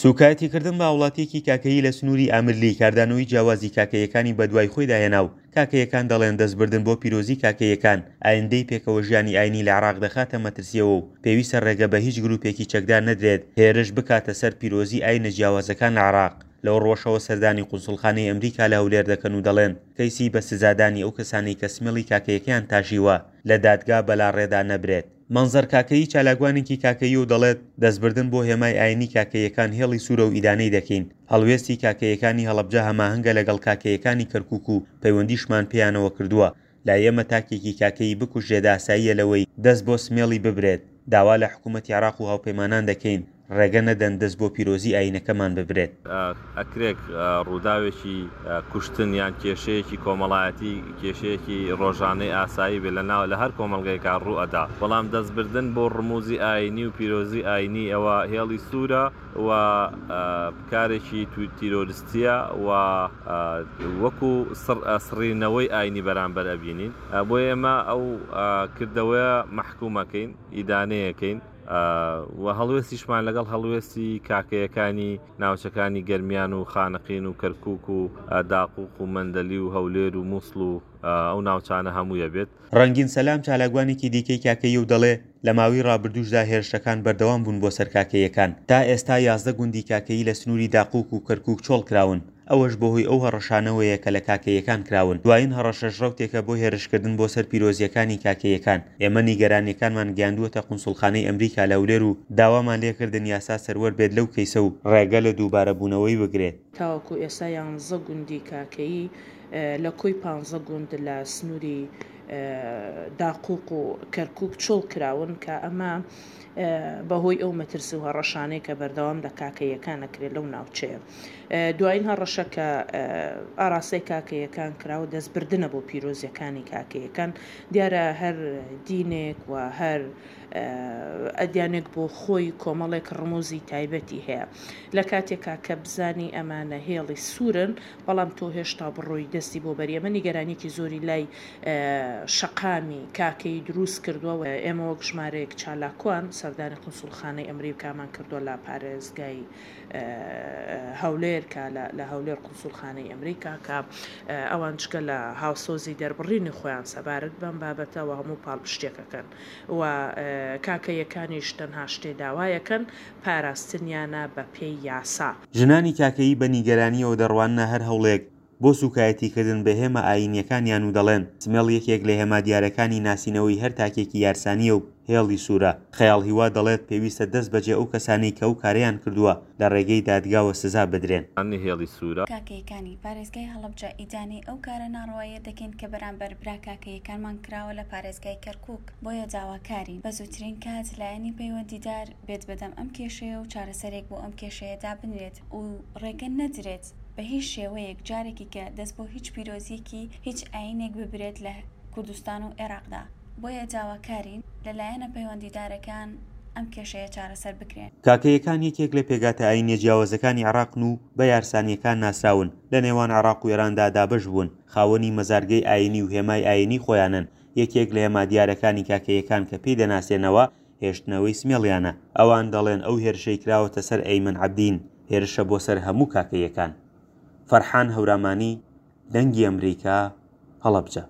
سوکایەتیکردن بە هاوڵاتییەکی کاکەیی لە سنووری ئامرلی کاردانەوەی جیاوازی کاکەییەکانی بەدوای خۆیدا هێنا و کاکەییەکان دەڵێن دەستبردن بۆ پیرۆزی کاکەییەکان ئایندەی پێکەوەژیانی ئاینی لە عێراق دەخاتە مەترسییەوە و پێویستە ڕێگە بە هیچ گروپێکی چەکدار نەدرێت هێرش بکاتە سەر پیرۆزی ئاینە جیاوازەکان لە عێراق. لەو ڕووەشەوە سەردانی قونسوڵخانەی ئەمریکا لە هەولێر دەکەن و دەڵێن کەیسی بە سزادانی ئەو کەسانەی کە سمێڵی کاکەیەکەیان تاشیوە لە دادگا بەلاڕێدا نەبرێت. مەنزەر کاکەیی چالاکوانێکی کاکەییە و دەڵێت، دەستبردن بۆ هێمای ئاینی کاکەییەکان هێڵی سوورە و ئیدانەی دەکەین. هەڵوێستی کاکەییەکانی هەڵەبجە هەماهەنگە لەگەڵ کاکەییەکانی کەرکووک و پەیوەندیشمان پێیانەوە کردووە. لای ئێمە تاکێکی کاکەیی بکوژرێت ئاساییە لەوەی دەست بۆ سمێڵی ببرێت. داوا لە حکوومەتی عێراق و هاوپەیمانان دەکەین ڕێگە نەدەن دەست بۆ پیرۆزی ئایینەکەمان ببرێت. ئەکرێت ڕووداوێکی کوشتن یان کێشەیەکی کۆمەڵایەتی کێشەیەکی ڕۆژانەی ئاسایی بێت لە لە هەر کۆمەڵگەیەکا ڕوو ئەدا، بەڵام دەست بردن بۆ ڕموزی ئایینی و پیرۆزی ئایینی ئەوە هێڵی سوورە و کارێکی تیرۆرستیە و وەکو سڕینەوەی ئایینی بەرامبەر ئەبینین، بۆیە ئێمە ئەو کردەوەیە مەحکوم ئەکەین، ئیدانەیەکەین. و هەڵوێستیشمان لەگەڵ هەڵوێستی کاکەیەکانی ناوچەکانی گەرمیان و خانەقین و کەرکوک و داقوق و مەندەلی و هەولێر و موسڵ و ئەو ناوچانە هەموویە بێت. ڕەنگین سەلام چالاکوانێکی دیکەی کاکەییە و دەڵێ، لە ماوەی ڕابردووشدا هێرشەکان بەردەوام بوون بۆ سەر کاکەییەکان، تا ئێستا 11 گوندی کاکەیی لە سنووری داقوق و کەرکوک چۆڵ کراون. ئەوەش بەهۆی ئەو هەڕەشانەوەیە کە لە کاکەییەکان کراون، دوایین هەڕەشەش ڕەوتێکە بۆ هێرشکردن بۆ سەر پیرۆزییەکانی کاکەییەکان، ئێمە نیگەرانییەکانمان گەیاندووەتە قونسوڵخانەی ئەمریکا لە هەولێر و داوامان لێکردن یاسا سەروەر بێت لەو کەیسە و ڕێگە لە دووبارەبوونەوەی بگرێت. تاوەکو ئێستا یانزە گوندی کاکەیی لە کۆی پانزە گوند لە سنووری داقوق و کەرکوک چۆڵ کراون کە ئەمە بەهۆی ئەو مەترسی و هەڕەشانەی کە بەردەوام لە کاکەییەکان ئەکرێت لەو ناوچەیە. دوایین هەڕەشە کە ئاراستەی کاکەیەکان کراوە دەستبردنە بۆ پیرۆزیەکانی کاکەیەکان دیارە هەر دینێک و هەر ئەدیانێک بۆ خۆی کۆمەڵێک ڕموزی تایبەتی هەیە لە کاتێکا کە بزانی ئەمانە هێڵی سوورن بەڵام تۆ هێشتا بڕۆی دەستی بۆ بەری ئەمە نیگەرانیەکی زۆری لای شەقامی کاکەیی دروست کردووە ئێمە وەک ژمارەیەک چالاکوان سەردانی قونسوڵخانەی ئەمریکامان کردووە لە پارێزگای هەولێر کە لە هەولێر قونسوڵخانەی ئەمریکا کە ئەوان جگە لە هاوسۆزی دەربڕینی خۆیان سەبارەت بەم بابەتە و هەموو پاڵپشتیەکەکەن و کاکەیەکانیش تەنها شتێ داوایەکەن پاراستنیانە بە پێی یاسا. ژنانی کاکەیی بە نیگەرانییەوە دەڕواننە هەر هەوڵێک بۆ سووکایەتیکردن بە هێما ئایینییەکانیان و دەڵێن، سمێڵ یەکێک لە هێما دیارەکانی ناسینەوەی هەر تاکێکی یارسانییە و هێڵی سوورە. خەیاڵ هیوا دەڵێت، پێویستە دەست بەجێ ئەو کەسانەی کە ئەو کارەیان کردووە لە ڕێگەی دادگاوە سزا بدرێن. هێڵی سوورە. کاکەیەکانی پارێزگای هەڵەبجە ئیدانەی ئەو کارە ناڕەوایە دەکەین کە بەرامبەر برا کاکەیەکانمان کراوە لە پارێزگای کەرکوک، بۆیە داواکارین بە زووترین کات لایەنی پەیوەندیدار بێت بەدەم ئەم کێشەیە و چارەسەرێک بۆ ئەم کێشەیە دابنرێت و ڕێگە نەدرێت بە هیچ شێوەیەک جارێکی کە دەست بۆ هیچ پیرۆزیەکی هیچ ئاینێک ببرێت لە کوردستان و ئێراقدا بۆیە داواکارین لە لایەنە پەیوەندیدارەکان ئەم کێشەیە چارەسەر بکرێن. کاکەیەکان یەکێک لە پێکهاتە ئایینیە جیاوازەکانی عێراقن و بە یارسانییەکان ناسراون، لە نێوان عێراق و ئێراندا دابەش بوون، خاوەنی مەزارگەی ئایینی و هێمای ئایینی خۆیانن، یەکێک لە هێما دیارەکانی کاکەیەکان کە پێی دەناسێنەوە هێشتنەوەی سمێڵیانە. ئەوان دەڵێن ئەو هێرشەی کراوەتە سەر ئەیمەن عەبدین، هێرشە بۆ سەر هەموو کاکەییەکان. فەرحان هەورامانی، دەنگی ئەمریکا، هەڵەبجە.